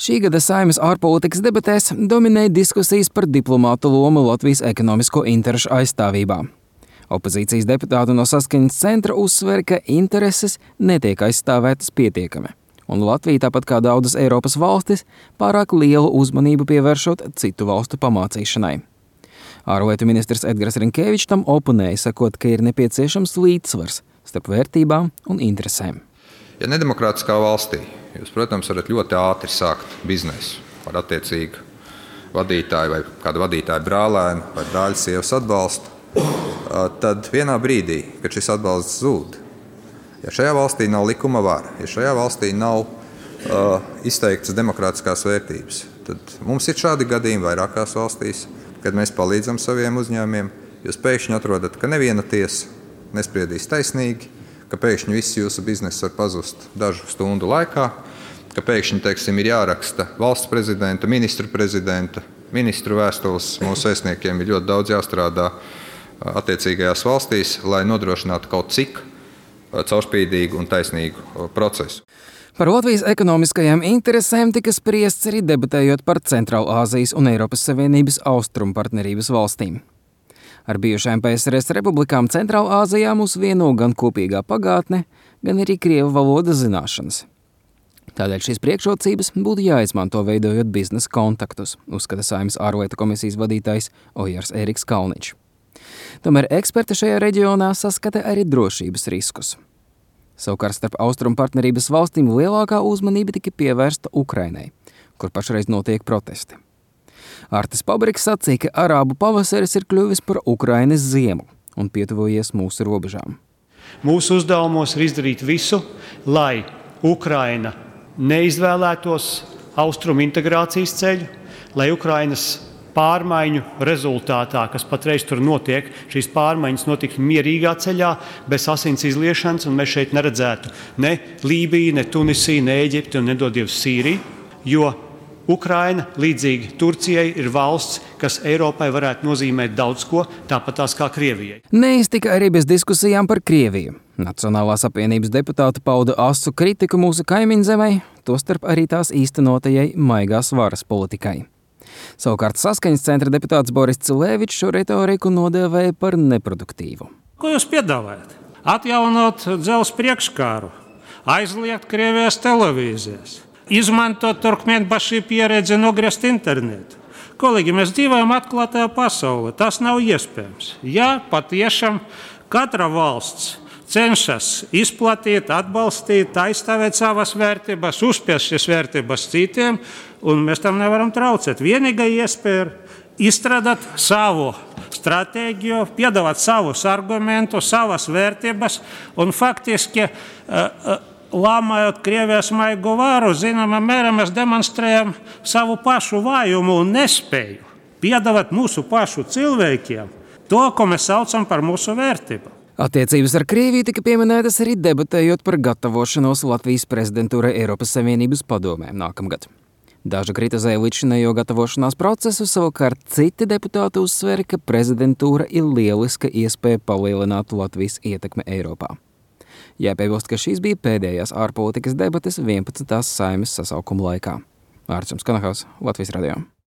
Šī gada Saeimas ārpolitikas debatēs dominēja diskusijas par diplomātu lomu Latvijas ekonomisko interešu aizstāvībā. Opozīcijas deputāti no Saskaņas centra uzsver, ka intereses netiek aizstāvētas pietiekami, un Latvija, tāpat kā daudzas Eiropas valstis, pārāk lielu uzmanību pievēršot citu valstu pamācīšanai. Ārlietu ministrs Edgars Rinkēvičs tam oponēja, sakot, ka ir nepieciešams līdzsvars starp vērtībām un interesēm. Ja nedemokrātiskā valstī jūs, protams, varat ļoti ātri sākt biznesu ar attiecīgu vadītāju vai kādu vadītāju brālēnu vai brāļa sievas atbalstu, tad vienā brīdī, kad šis atbalsts zūd, ja šajā valstī nav likuma vara, ja šajā valstī nav izteiktas demokrātiskās vērtības, tad mums ir šādi gadījumi vairākās valstīs, kad mēs palīdzam saviem uzņēmumiem, jūs pēkšņi atrodat, ka neviena tiesa nespriedīs taisnīgi, ka pēkšņi viss jūsu bizness var pazust dažu stundu laikā, ka pēkšņi, ir jāraksta valsts prezidenta, ministru vēstules. Mūsu vēstniekiem ir ļoti daudz jāstrādā attiecīgajās valstīs, lai nodrošinātu kaut cik caurspīdīgu un taisnīgu procesu. Par Latvijas ekonomiskajām interesēm tika spriests arī debatējot par Centrālāzijas un Eiropas Savienības austrumu partnerības valstīm. Ar bijušajām PSRS republikām Centrālāzijā mūs vieno gan kopīgā pagātne, gan arī krievu valodas zināšanas. Tādēļ šīs priekšrocības būtu jāizmanto veidojot biznesa kontaktus, uzskata Saeimas ārlietu komisijas vadītājs Ojārs Ēriks Kalniņš. Tomēr eksperti šajā reģionā saskata arī drošības riskus. Savukārt starp austrumu partnerības valstīm lielākā uzmanība tika pievērsta Ukrainai, kur pašreiz notiek protesti. Artis Pabriks sacīja, ka arābu pavasaris ir kļuvis par Ukrainas ziemu un pietuvojies mūsu robežām. Mūsu uzdevumos ir izdarīt visu, lai Ukraina neizvēlētos austrumu integrācijas ceļu, lai Ukrainas pārmaiņu rezultātā, kas patreiz tur notiek, šīs pārmaiņas notiktu mierīgā ceļā, bez asins izliešanas, un mēs šeit neredzētu ne Lībiju, ne Tunisiju, ne Eģipti un nedod Dievs Sīriju, jo Ukraina, līdzīgi Turcijai, ir valsts, kas Eiropai varētu nozīmēt daudz ko, tāpat tās kā Krievijai. Neiztika arī bez diskusijām par Krieviju. Nacionālās apvienības deputāti pauda asu kritiku mūsu kaimiņzemei, tostarp arī tās īstenotajai maigās varas politikai. Savukārt Saskaņas centra deputāts Boris Cilēvičs šo retoriku nodēvēja par neproduktīvu. Ko jūs piedāvājat? Atjaunot dzelzs priekškāru, aizliegt Krievijas televīzijas, izmantot turkmēnbašī pieredzi nogriezt internetu. Kolēģi, mēs dzīvojam atklātajā pasaulē. Tas nav iespējams. Ja patiešām katra valsts cenšas izplatīt, atbalstīt, aizstāvēt savas vērtības, uzspiest šīs vērtības citiem, un mēs tam nevaram traucēt. Vienīgā iespēja ir izstrādāt savu stratēģiju, piedāvāt savus argumentus, savas vērtības, un faktiski lāmājot Krievijas maigo varu, zināmā mērā mēs demonstrējam savu pašu vājumu un nespēju piedāvāt mūsu pašu cilvēkiem to, ko mēs saucam par mūsu vērtību. Attiecības ar Krieviju tika pieminētas arī debatējot par gatavošanos Latvijas prezidentūrai Eiropas Savienības padomē nākamgad. Daži kritizēja līdzinējo gatavošanās procesu, savukārt citi deputāti uzsvēra, ka prezidentūra ir lieliska iespēja palielināt Latvijas ietekmi Eiropā. Jāpiebilst, ka šīs bija pēdējās ārpolitikas debates 11. Saeimas sasaukuma laikā. Ārčuns Kanahaus, Latvijas radio.